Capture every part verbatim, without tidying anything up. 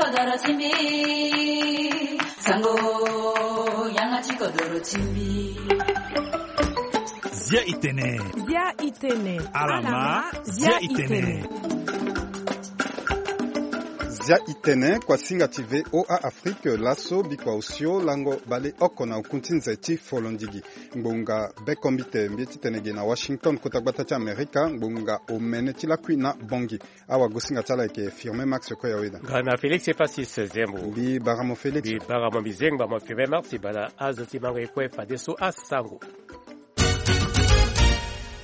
Doro ti mbi, sango, yanga ti kodoro ti mbi. Zia itene. Zia itene. Alama, zia itene. Zia itene, kuasinga ti V O A Afrique, laso bikua osio lango bale oko na okun ti nze ti folondigi. Ngbonga bekombite mbi ti tene ge na Washington, kota gbata ti Amerika, ngbonga omene ti lakui na Bongi. Awagosinga ti ala ayeke Firmin Max Koyaweda. Nga na Félix Epasis Zembo. Mbi bara mo Félix. Mbi bara mo mbi zengba mo Firmin Max, bala azo ti mango e kue fadeso asango.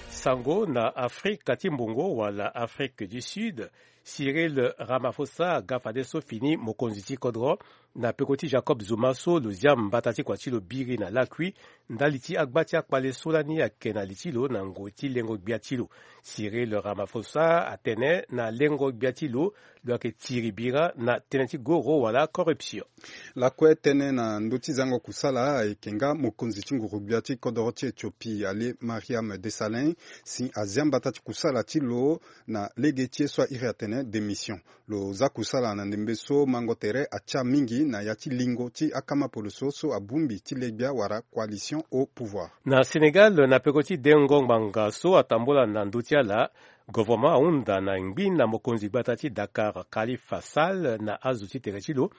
Sango na Afrika ti mbongo wala Afrique du Sud, Cyril Ramaphosa aga fadeso fini mokonzi ti kodro na peko ti Jacob Zuma so lo zia mbata ti kua ti lo biri na lakui ndali ti agba ti akpale so lani ayeke na li ti lo na ngoi ti lengo gbia ti lo. Cyril Ramaphosa atene na lengo gbia ti lo, lo yeke tiri bira na tënë ti goro wala corruption. Lakue tënë na ndö ti zango kusala ayeke nga mokonzi ti nguru-gbia ti kodoro ti Éthiopie, Haile Mariam Desalegn, si azia mbata ti kusala ti lo na lege ti ye so a iri atene démission. Lo za kusala na ndembe so mango tere atia mingi na ya ti lingo ti akama poloso so abongbi ti le-gbia wala coalition au pouvoir. Na Sénégal, na peko ti dengo ngbanga so atambula na ndö ti ala, governement ahunda na ngbi na mokonzi gbata ti Dakar, Khalifa Sall, na azo ti tere ti lo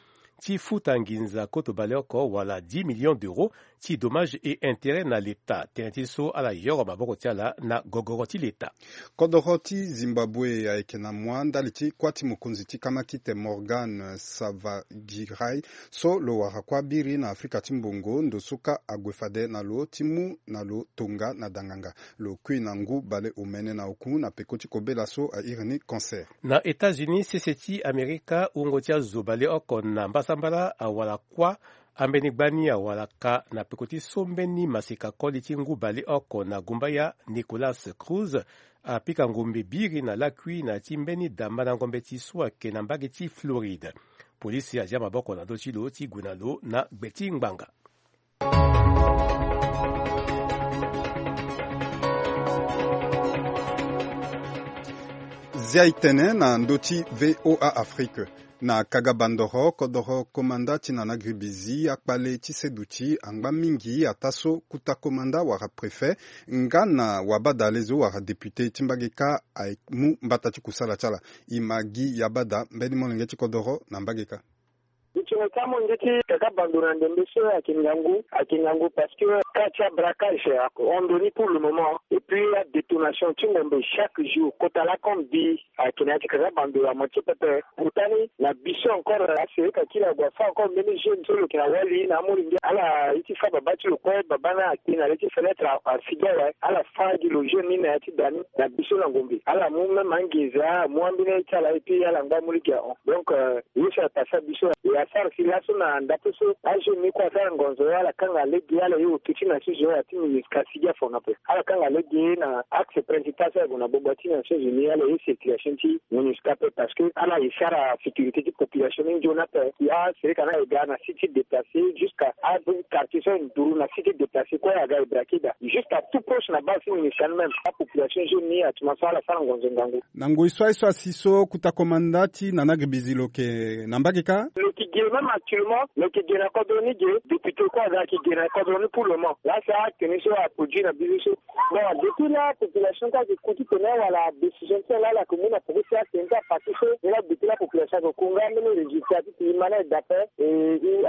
ti futa nginza koto baleoko wala dix millions d'euros ti dommages et intérêts na l'État, tënë ti so ala yoro maboko ti ala na gogoro ti l'État. Kodoro ti Zimbabwe ayeke na mua ndali ti kuâ ti mokonzi ti kamakite Morgan Tsvangirai so lo wara kuâ biri na Afrika ti mbongo, ndo so kâ ague fade na lo ti mu na lo tonga na danganga. Lo kui na ngu bale omene na oku na peko ti kobela so a iri ni cancer. Na États-Unis, sese ti Amerika, wungo ti azo baleoko na mbasambala awara kuâ ambeni gbani awara ka na peko ti so mbeni maseka koli ti ngu baleoko na gumbaya, Nicolas Cruz, apika ngombe biri na lakui na ya ti mbeni dambandango mbeti so ayeke na mbage ti Floride. Polisi azia maboko na ndö ti lo ti gue na lo na gbe ti ngbanga. Zia itene na ndö ti V O A Afrique. Na kaga bandoro, kodoro komanda ti Nana Gribizi, akpale ti seduti angba mingi, ataa so kuta komanda wala préfet, nga na wabada lezo wala député ti mbage kâ amu mbata ti kusala ti ala. E ma gi yabada mbeni molenge ti kodoro na mbage kâ. Ti tene ti amolenge ti kaka bando na ndembe so ayeke ngangu, ayeke ngangu parce que cas ti abraquage ahon ndo ni pour le moment. Et puis adétonation ti ngombe chaque jour, kota lakon mbi ayeke na ya ti kaka bando ya moitié pepe. Kota ni na biso encore, asereka ti lo ague afâ encore mbeni jeune so lo yeke na wali na amolenge, ala ye ti fâ baba ti lo kue, baba ni ayeke na le ti fenêtre, afigi awe, ala fâ gi lo jeune ni na ya ti da ni na biso na ngombe. Ala mu même anginza, amu ambeni ye ti ala, et puis ala ngba amu lege ahon. Donc, euh, ye so apasa biso e asara si laso na ndape so ajeune ni kue asara ngonzo, ala kanga lege, ala ye oti ti Nations Unies, ala ti MINUSCA asigi afa na ape. Ala kanga lege na axe principal so ague na gbagba ti Nations Unies, ala ye circulation ti MINUSCA ape, parce que ala e sara sécurité ti population ni nzoni ape. Asereka ni aye ga na site déplacé, jusqu'à a quartier so aye nduru na site déplacé kue aga e braqué da, jusqu'à tout proche na base ti MINUSCA ni même. Apopulation jeune ni atuma so ala sara ngonzo ngangu. Na ngoi so aye so asi so kuta komanda ti Nana Gribizi lo yeke na mbage kâ? Lo yeke ge même actuellement, lo yeke ge na kodro ni ge, député kue aga ayeke ge na kodro ni pour le moment. Laa si atene so aproduit na biso so. Bon, depuis là population kue ayeke ku titene wala décision ti ala ala yeke mu na peko ti atene ti aparti so. Ni laa depuis là population ayeke ku nga mbeni résultat ti ti e ma ni aye dape. E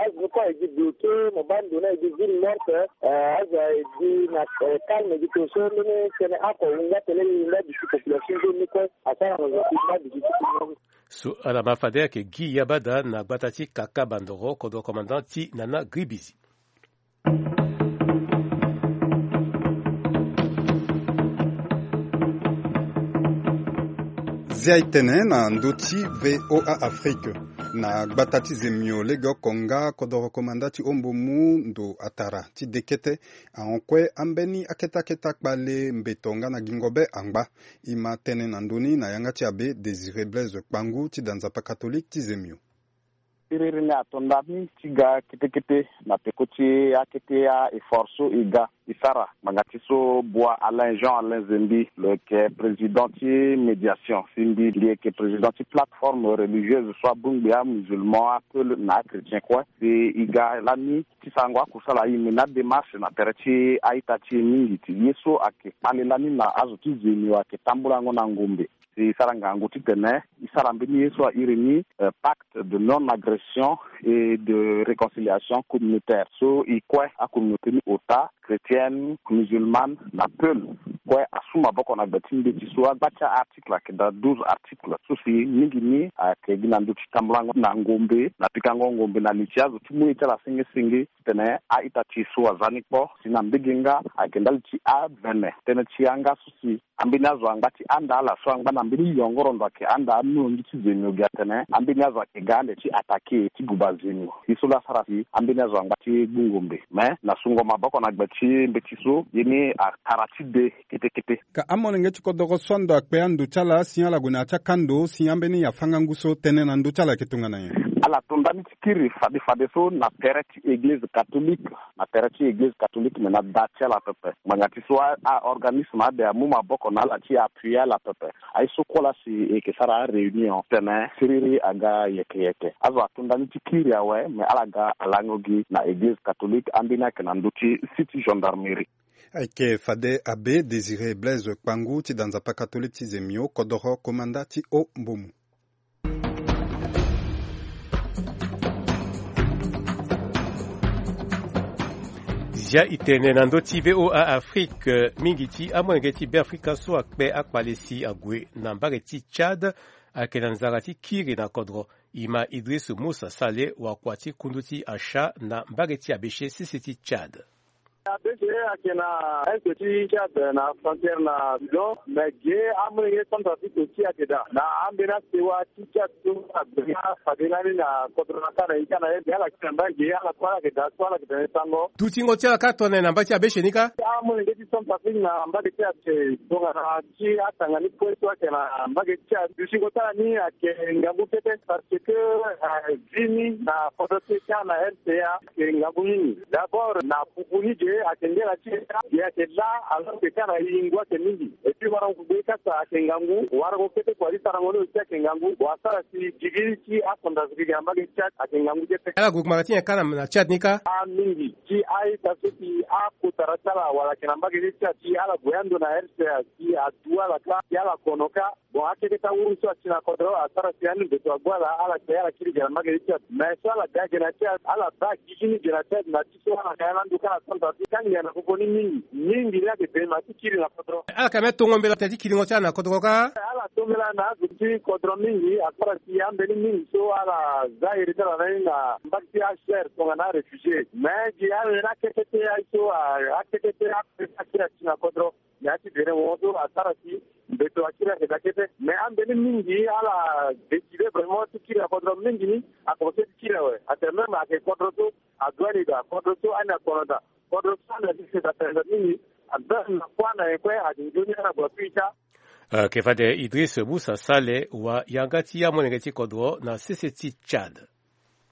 azo ni kue aye gi bloqué, mo baa ndo ni aye gi ville morte. Eh, azo aye gi na, eh, calme gi tongaso, mbeni tënë oko ahunda tene e hunda duti population nzoni ni kue. Asara na zo ti mabidi ti ti mabidi. So ala ma fade ayeke gi yabada na gbata ti kaka bandoro, kodro commandant ti Nana Gribizi. Zia e tene na ndö ti V O A Afrique. Na gbata ti Zemio legeoko nga kodoro komanda ti Ombo mu ndo atara ti dekete ahon kue ambeni akete akete akpale mbeto nga na gingo be angba. E ma tënë na ndö ni na yanga ti abe Désiré Blaise Kpangu ti da nzapa catholique ti Zemio. Siriri ni ato ndani ti ga kete kete na peko ti akete a-effort so e ga. e sara ngbanga ti so Bua Alain, Jean Alain Zembi, lo yeke président ti médiation si mbi, mbi yeke président ti plateforme religieuse so abongbi amusulman, apeul na achrétien kue. Si e ga lani ti sarango akusala aye, me na démarche na tere ti a-ita ti e mingi ti ye so ayeke kpale lani na azo ti Zemio ayeke tambulango na ngombe. Si e sara ngangu titene e sara mbeni ye so a iri ni, euh, pacte de non-agression et de réconciliation communautaire. So e kue acommunauté ni ota, chrétienne, musulmane na peul, kue asu maboko na gbe ti mbeti so agba ti a-article ayeke daa douze articles. So si mingi ni ayeke gi na ndö ti tambulango na ngombe na pikango ngombe na li ti azo ti mu ye ti ala senge senge. Titene a-ita ti e so aza ni kpo si na mbege nga ayeke ndali ti avene tënë ti yanga so si ambeni azo angba ti anda ala so angba na mbeni yongoro ndo ayeke anda amolenge ti Zemio gi atene ambeni azo ayeke ga ande ti attaqué ti guba Zemio. Ye so laa asara si ambeni azo angba ti gbu ngombe. Me na sungo maboko na gbe ti mbeti so, ye ni atara ti de kete kete. Ka amolenge ti kodoro so ando akpe ando ti ala si ala gue na ya ti akando si ambeni afanga ngu so tënë na ndö ti ala ayeke tongana nyen? Ala to ndani ti kiri fade fade so na tere ti église catholique, na tere ti église catholique, me na da ti ala pepe. Ngbanga ti so a, a organisme ade amu maboko na ala ti appuyer ala pepe. Aye so kue laa si e yeke sara aréunion tene siriri aga yeke yeke. Azo ato ndani ti kiri awe, me ala ga alango gi na église catholique, ambeni ayeke na ndö ti site gendarmerie. Ayeke fade abbé Désiré Blaise Kpangu ti da nzapa catholique ti Zemio, kodoro komanda ti haut mbomu. Zia e tene na ndö ti V O A Afrique, mingi ti amolenge ti Beafrika so akpe akpale si ague na mbage ti Tchad ayeke na nzara ti kiri na kodro. E ma Idriss Moussa Saleh, wakua ti kundu ti Asha na mbage ti Abéché, sese ti Tchad. Abéché ayeke na est ti Tchad na frontière na Soudan, me ge amolenge Centrafrique aussi ayeke daa na ambeni asewa ti Tchad so ague na fade lani na kodro na ka na e ka na ye, ala kiri na mbage, ala kue ala yeke daa so ala yeke tene sango. Dutingo ti ala kâ tongana nyen na mbage ti Abéché ni kâ? Amolenge ti Centrafrique na mbage ti Abéché tongana ti atanga ni kue so ayeke na mbage ti Tchad. Dutingo ti ala ni ayeke ngangu kete parce que, eh, vi ni na kodro ti e ka na R C A ayeke ngangu mingi. D'abord na pupu ni ge ayeke nge na ti e ka, ge ayeke laa alors que ka na e ngu ayeke mingi. Et puis wara ngu gbe kasa ayeke ngangu, wara ngu kete kua ti sarango ni aussi ayeke ngangu. Bon, asara si gigi ti acentrafricain na mbage ti Tchad ayeke ngangu kete. Ala gue ngbanga ti nyen ka na, na Tchad ni ka? Ah, mingi. Ti a-ita so si akotara ti ala wala ayeke na mbage ti Tchad, si ala gue ando na R C A, si adu ala ka, si ala kono ka. Bon, akeke ti awuru so asi na kodro asara si ande mbeto agbu ala, ala ke ala kiri ge na mbage ti Tchad. Mais so ala ga ge na Tchad, ala baa gigi ni ge na Tchad na ti so ala ga ya na ndo ka na Centrafrique, ka ngia na popo ni mingi. Mingi ni ayeke bema ti kiri na kodro. Ala yeke même tongo mbela tene ti kiringo ti ala na kodro ka? Ala to mbela na azo ti kodro mingi, asara si ambeni mingi so ala za iri ti ala na ni na mbage ti acher tongana aréfugié. Mais gi ala ni akete te aye so, a, akete te akete te asi na kodro. Mais ati dere mo so asara si mbeto akiri ayeke daa kete. Mais ambeni mingi ala décidé vraiment ti kiri na kodro mingi ni, akomense ti kiri awe. Atene même ayeke kodro so adua ni daa, kodro so ani akono daa, kodro so ani asese daa tene daa mingi. Même na kua na nyen kue ayeke nzoni ala gue na pui ti a. Ayeke fade Idriss Moussa Saleh, wa yanga ti amolenge ti kodro na sese ti Tchad.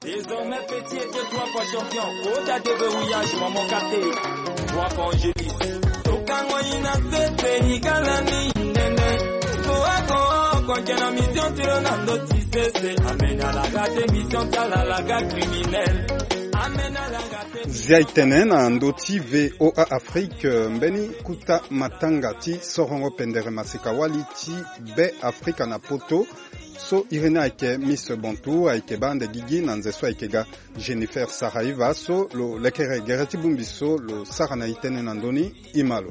Désormais petit était trois fois champion. Kota de verrouillage, maman Katé. Trois fois Angélique. Tokango ina sese ni kala ni nene. Toako oko nje na mission tiro na ndo ti sese. Amena la gate mission tala la gate criminel. Amena la gate. Zia e tene na ndo ti V O A Afrique, mbeni kuta matanga ti sorongo pendere maseka wali ti Be Afrika na poto. So iri ni ayeke Miss Bantou ayeke baa ande gigi na nze so ayeke ga. Jennifer Saraiva so lo lekere gere ti bongbi so lo sara na e tënë na ndö ni, e ma lo.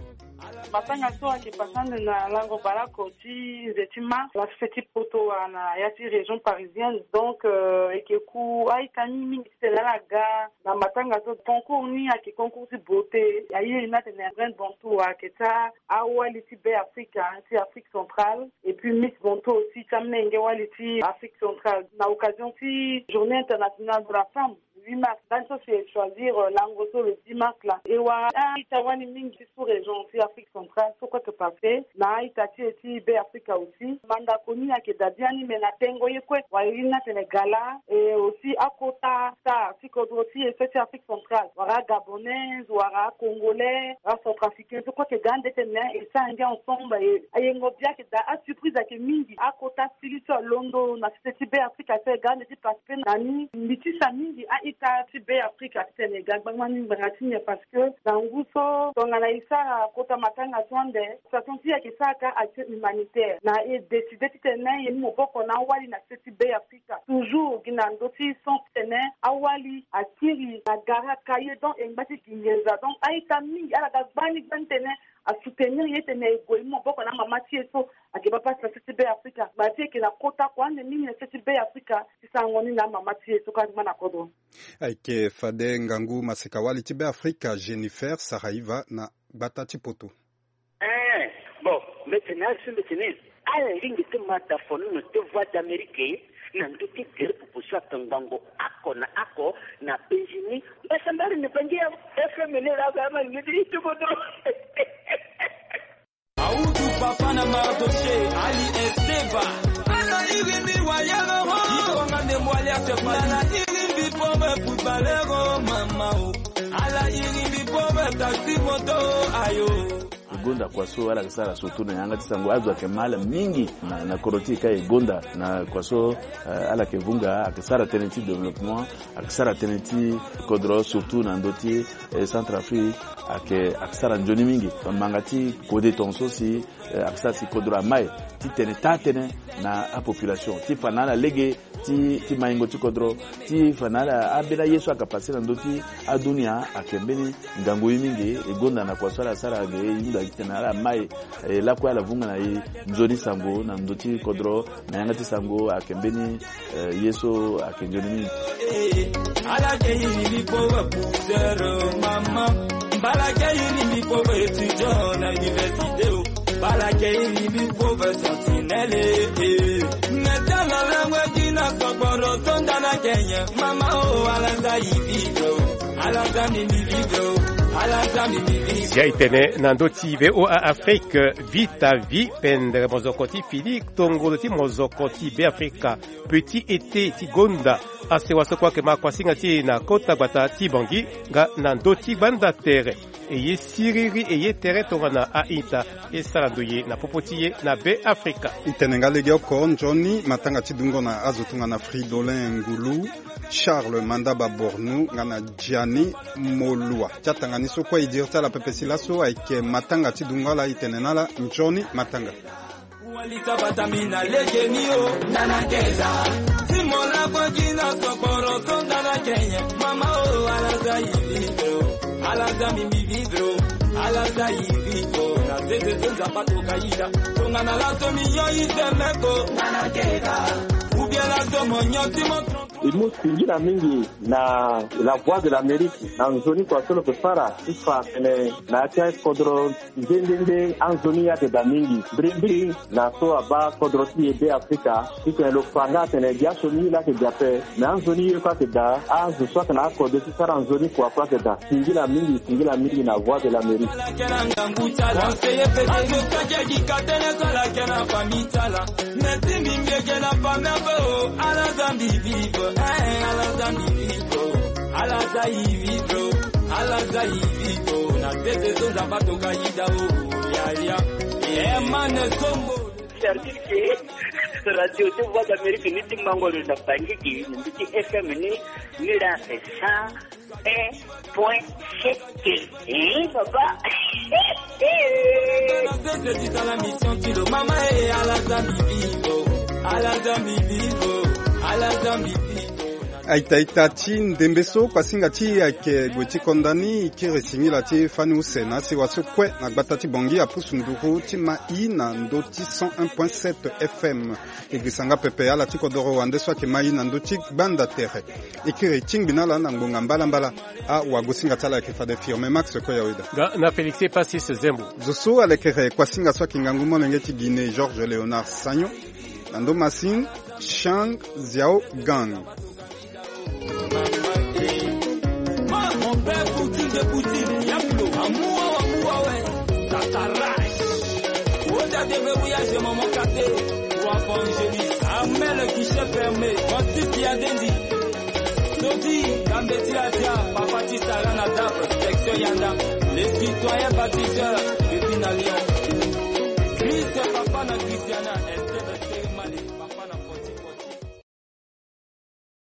Matanga so ayeke pasa ande na lango baleoko ti nze ti mars na sese ti poto wala na ya ti région parisienne. Donc, euh, e yeke ku a-ita ni mingi titene ala ga na matanga so. Concours ni ayeke concours ti beauté. Aye ni atene Reine Bantou ayeke ti awali ti Be Afrika ti Afrique centrale. Et puis Miss Bantou aussi ti amenge wali ti Afrique centrale. Na occasion ti Journée internationale de la femme, huit mars. Ndani so si e choisir, euh, lango so le dix mars laa. E wara a-ita wani mingi ti sous-région ti Afrique centrale so kue ayeke passé na a-ita ti e ti Be Afrika aussi. Mandako ni ayeke daa biani, me na tengo ye kue, wala e ni atene gala, e aussi akota star ti kodro ti e so ti Afrique centrale, wala agabonnaise, wala acongolais, wala centrafricain, so kue ayeke ga ande tene e sara ngia ensemble, e ayengo bia ayeke daa. Asurprise ayeke mingi, akota sili so alondo na sese ti Be Afrika so e ga ande ti participer na ni. Mbi tisa mingi a-ita ti Be Afrika titene e ga gbangba ni ngbanga ti nyen, parce que na ngu so tongana e sara kota matanga so ande, association ti e ayeke sara ka action humanitaire, na e décider titene e mu maboko na awali na sese ti Be Afrika. Toujours gi na ndö ti sens titene awali akiri na gara ka ye, donc e ngba ti gi nginza. Donc a-ita mingi ala ga gbani gbani titene asoutenir ye titene e gue e mu maboko na amama ti e so ayeke baa pasi na sese ti Be Afrika. Mama ti e ayeke na kota kua ande mingi na sese ti Be Afrika ti sarango ni na amama ti e so kue ayeke ma na kodro. Ayeke fade ngangu maseka-wali ti Be Afrika Jennifer Saraiva na gbata ti poto. Eh, bon, mbi tene azo so mbi tene ala lingbi ti ma dafonu na ti Voix d'Amérique na ndö ti gere pupu so atongbango oko na oko na penzi ni. Mbasambari ni bangi ya F M ni laa, ama lingbi ti ti kodro. Audu papa na Mardoché, Ali Esteva. Ala iri mbi wali aloho. Ikonga nde mwali asepa. Ala iri mbi pome footballero mama o. Ala iri mbi pome taxi moto ayo. E gonda kua so ala yeke sara surtout na yanga ti sango. Azo ayeke ma ala mingi na, na kodro ti e ka e gonda na kua so, eh, ala yeke vunga, ayeke sara tënë ti développement, ayeke sara tënë ti kodro surtout na ndö ti, eh, Centrafrique, ayeke, ayeke sara nzoni mingi. Manga ti kode tongaso si, eh, ayeke sara si kodro amai titene taa tënë na apopulation ti fa na ala lege ti, ti maingo ti kodro, ti fa na ala ambeni aye so ayeke passé na ndö ti adunia. Ayeke mbeni ngangu ye mingi. E gonda na kua so ala sara ge, e hunda titene ala mai, e lakue ala vunga na e nzoni sango na ndö ti kodro. Na yanga ti sango ayeke mbeni, eh, ye so ayeke nzoni mingi. Ala ke iri mbi pove pousseur mama. Mbala ke iri mbi pove étudiant na université o. Mbala ke iri mbi pove sentinelle, eh. Nge tala langue ti na sokporo so nda na kenye. Mama o, ala za e vivre o. Ala za mbi mbi vivre o. Ala za mbi mbi vivre. Si aye tene na ndö ti V O A Afrique, vie ta vie, pendere mozoko ti Félix Tongolo ti mozoko ti Be Afrika. Petit été ti gonda asewa so kue ayeke ma kuasinga ti e na kota gbata ti Bangui nga na ndö ti gbanda tere. E ye siriri, e ye tere tongana a-ita, e sara ndoye na popo ti e na Be Afrika. E tene nga legeoko nzoni matanga ti dungo na azo tongana Fridolin Ngulu, Charles Mandaba Bornou nga na Gianni Molua. Ti atanga ni so kue e diri ti ala pepe si laso ayeke matanga ti dungo ala, e tene na ala nzoni matanga. Wali sabata mi na lege ni o, nana keza. Si mo lako gi na sokporo so nda na kenye. Mama o, ala za e vivre o. Ala za mbi mbi vivre o. Ala za e vivre o. Na sese so Nzapa toka yida. Tongana laso mi nyon e tene ko. Nana keza. Ou bien laso mo nyon ti mo trompe. E mu singila mingi na La Voix de l'Amérique, na nzoni kua so lo yeke sara ti fa atene na ya ti akodro. Nde nde nde anzoni ayeke daa mingi. Mbrimbri na so abaa kodro ti e Be Afrika, titene lo fa nga atene biaso ni laa ayeke daa ape. Me anzoni ye kue ayeke daa. Azo so ayeke na akode ti sara nzoni kua kue ayeke daa. Singila mingi, singila mingi na Voix de l'Amérique. Ala za e vivre o, ala za e vivre o, na sese so Nzapa toka yida o, ya, ya. Hermane Sombo. C'est-à-dire que radio ti Voix d'Amérique ni ti mango lo na Bangui, ni ti F M ni, ni la c'est cent un point sept. Eh, papa. Na sese ti sala mission ti lo, mama, eh, ala za mbi vivre o, ala za mbi vivre o, ala za mbi vivre o. Aita ita ti ndembe so, pasinga ti e ayeke gue ti konda ni, e kiri singila ti fani use na asewa so kue na gbata ti Bangui apusu nduru ti ma e na ndö ti cent un point sept F M. E girisa nga pepe ala ti kodoro wande so ayeke ma e na ndö ti gbanda tere. E kiri tingbi na ala na ngbonga mbalambala. Awagosinga ti ala ayeke fade Firme Max Koyaweda. Nga na Félix Epasis Zembo. Zo so alekere kuasinga so ayeke ngangu molenge ti Guinée, Georges Léonard Sagnon. Na ndo masini, Chang Xiaogang. Poutine, Diablo, Amoua, Amoua, ouais, Tatarai. Oda de Verrouillage, Maman Katé, Roi Vangelis, Armel, Guichet Fermé, Francis Yadendi, Sodi, Gambeti Adia, Papa Tisara Nadab, Section Yanda, les citoyens bâtisseurs, Pépine à Lyon, Christ, Papa na Christiana,